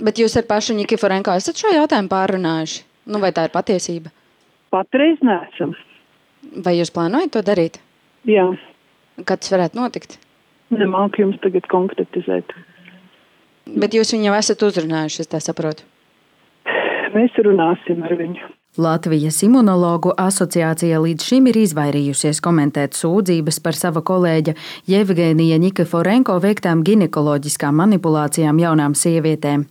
Bet jūs ar pašu Nikiforenko esat šo jautājumu pārrunājuši? Vai tā ir patiesība? Patreiz neesam. Vai jūs plānojat to darīt? Jā. Kad tas varētu notikt? Nemāku jums tagad konkretizēt. Bet jūs viņu jau esat uzrunājuši, es tā saprotu. Mēs runāsim ar viņu. Latvijas Imunologu asociācija līdz šim ir izvairījusies komentēt sūdzības par sava kolēģa Jevgenija Nikiforenko veiktām ginekoloģiskām manipulācijām jaunām sievietēm.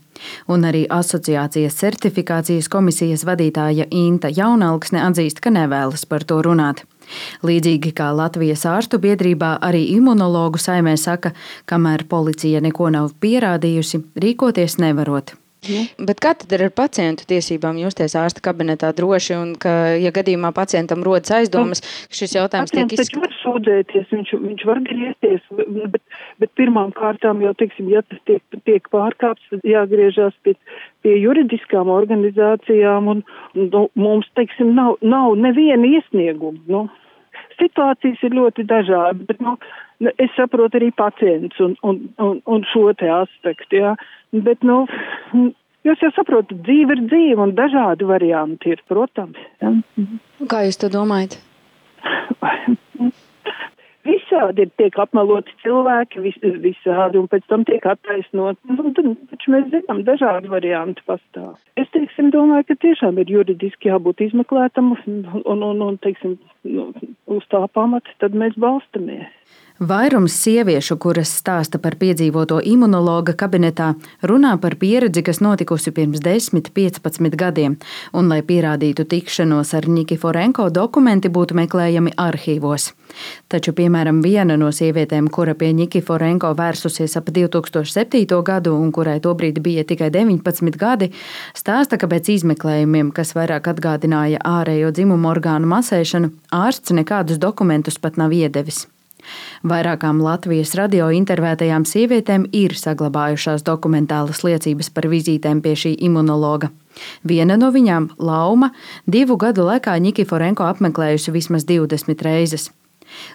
Un arī asociācijas certifikācijas komisijas vadītāja Inta Jaunalksne atzīst, ka nevēlas par to runāt. Līdzīgi kā Latvijas ārstu biedrībā, arī Imunologu saimē saka, kamēr policija neko nav pierādījusi, rīkoties nevarot. Bet kā tad ir ar pacientu tiesībām justies ārsta kabinetā droši un ka, ja gadījumā pacientam rodas aizdomas, ka šis jautājums tiek izskatīts? Pacients taču var sūdzēties, viņš var griezties, bet pirmām kārtām jau, teiksim, ja tas tiek pārkāpts, tad jāgriežās pie juridiskām organizācijām un mums, teiksim, nav neviena iesnieguma, Situācijas ir ļoti dažādas, bet, es saprotu arī pacients un šo te aspektu, jā. Bet, jūs jau saprotat, dzīve ir dzīve un dažādi varianti ir, protams. Ja? Kā jūs to domājat? Visādi tiek apmeloti cilvēki, visādi, un pēc tam tiek attaisnot. Taču mēs zinām, dažādi varianti pastāv. Es, domāju, ka tiešām ir juridiski jābūt izmeklētam un uz tā pamata tad mēs balstamies. Vairums sieviešu, kuras stāsta par piedzīvoto imunologa kabinetā, runā par pieredzi, kas notikusi pirms 10–15 gadiem, un, lai pierādītu tikšanos ar Nikiforenko, dokumenti būtu meklējami arhīvos. Taču, piemēram, viena no sievietēm, kura pie Nikiforenko vērsusies ap 2007. gadu un kurai tobrīd bija tikai 19 gadi, stāsta, ka pēc izmeklējumiem, kas vairāk atgādināja ārējo dzimumu orgānu masēšanu, ārsts nekādus dokumentus pat nav iedevis. Vairākām Latvijas radio intervētajām sievietēm ir saglabājušās dokumentālas liecības par vizītēm pie šī imunologa. Viena no viņām, Lauma, 2 gadu laikā Nikiforenko apmeklējusi vismaz 20 reizes.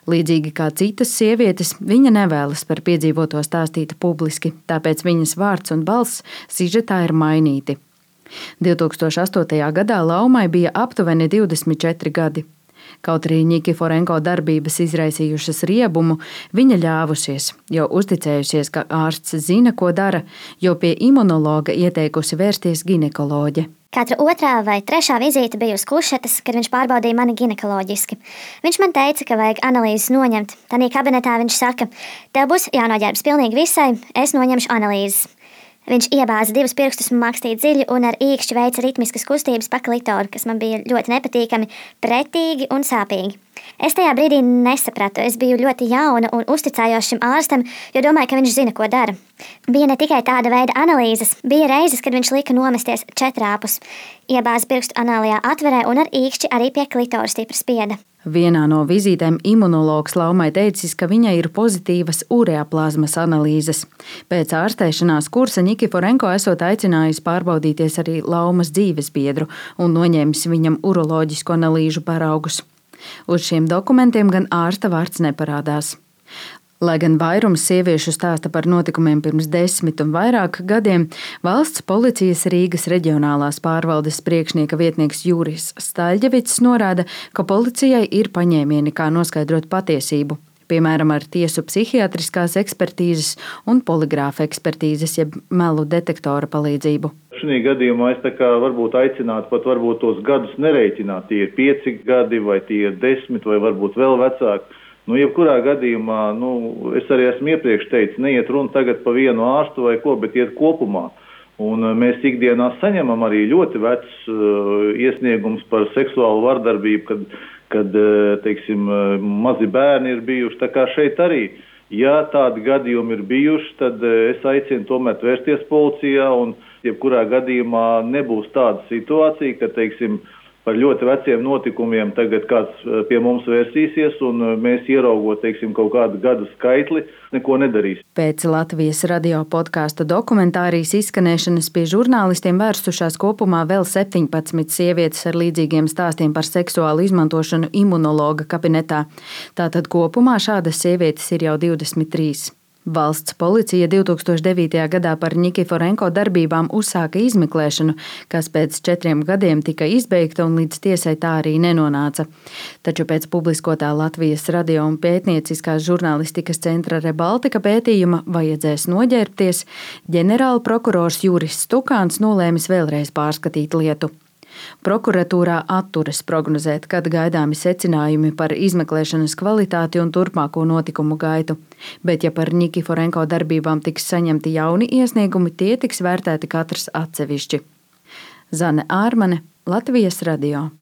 Līdzīgi kā citas sievietes, viņa nevēlas par piedzīvoto stāstīt publiski, tāpēc viņas vārds un balss sižetā ir mainīti. 2008. gadā Laumai bija aptuveni 24 gadi. Kaut arī Nikiforenko darbības izraisījušas riebumu, viņa ļāvusies, jo uzticējusies, ka ārsts zina, ko dara, jo pie imunologa ieteikusi vērsties ginekoloģe. Katra 2. vai 3. vizīte bija uz kušetes, kad viņš pārbaudīja mani ginekoloģiski. Viņš man teica, ka vajag analīzes noņemt. Tanī kabinetā viņš saka, tev būs jānoģērbs pilnīgi visai, es noņemšu analīzes. Viņš iebāza 2 pirkstus un makstīja dziļi un ar īkšķi veica ritmiskas kustības pa klitoru, kas man bija ļoti nepatīkami, pretīgi un sāpīgi. Es tajā brīdī nesapratu, es biju ļoti jauna un uzticējos šim ārstam, jo domāju, ka viņš zina, ko dara. Bija ne tikai tāda veida analīzes, bija reizes, kad viņš lika nomesties 4 āpus. Iebāza pirkstu anālajā atverē un ar īkšķi arī pie klitoru stipri spieda. Vienā no vizītēm imunologs Laumai teicis, ka viņai ir pozitīvas ureaplazmas analīzes. Pēc ārstēšanās kursa Nikiforenko esot aicinājis pārbaudīties arī Laumas dzīvesbiedru un noņēmis viņam uroloģisku analīžu paraugus. Uz šiem dokumentiem gan ārsta vārds neparādās. Lai gan vairums sieviešu stāsta par notikumiem pirms 10 un vairāk gadiem, valsts policijas Rīgas reģionālās pārvaldes priekšnieka vietnieks Juris Staļģevics norāda, ka policijai ir paņēmieni, kā noskaidrot patiesību, piemēram, ar tiesu psihiatriskās ekspertīzes un poligrāfa ekspertīzes, jeb melu detektora palīdzību. Šī gadījumā es varbūt aicinātu pat varbūt tos gadus nereiķināt, tie ir 5 gadi vai tie ir 10 vai varbūt vēl vecāki. Jebkurā gadījumā, es arī esmu iepriekš teicis, neiet runa tagad pa vienu ārstu vai ko, bet iet kopumā. Un mēs ikdienā saņemam arī ļoti vecs iesniegums par seksuālu vardarbību, kad teiksim, mazi bērni ir bijuši. Tā kā šeit arī, ja tādi gadījumi ir bijuši, tad es aicinu tomēr vērsties policijā un jebkurā gadījumā nebūs tāda situācija, ka, teiksim, par ļoti veciem notikumiem tagad kāds pie mums vērsīsies un mēs ieraugot, teiksim, kaut kādu gadu skaitli, neko nedarīs. Pēc Latvijas radio podkāsta dokumentārijas izskanēšanas pie žurnālistiem vērstušās kopumā vēl 17 sievietes ar līdzīgiem stāstiem par seksuālu izmantošanu imunologa kabinetā. Tātad kopumā šādas sievietes ir jau 23. Valsts policija 2009. gadā par Nikiforenko darbībām uzsāka izmeklēšanu, kas pēc 4 gadiem tika izbeigta un līdz tiesai tā arī nenonāca. Taču pēc publiskotā Latvijas radio un pētnieciskās žurnālistikas centra Rebaltika pētījuma vajadzēs noģērbties, ģenerāla prokurors Juris Stukāns nolēmis vēlreiz pārskatīt lietu. Prokuratūrā atturas prognozēt, kad gaidāmi secinājumi par izmeklēšanas kvalitāti un turpmāko notikumu gaitu. Bet, ja par Nikiforenko darbībām tiks saņemti jauni iesniegumi, tie tiks vērtēti katrs atsevišķi. Zane Ārmane, Latvijas radio.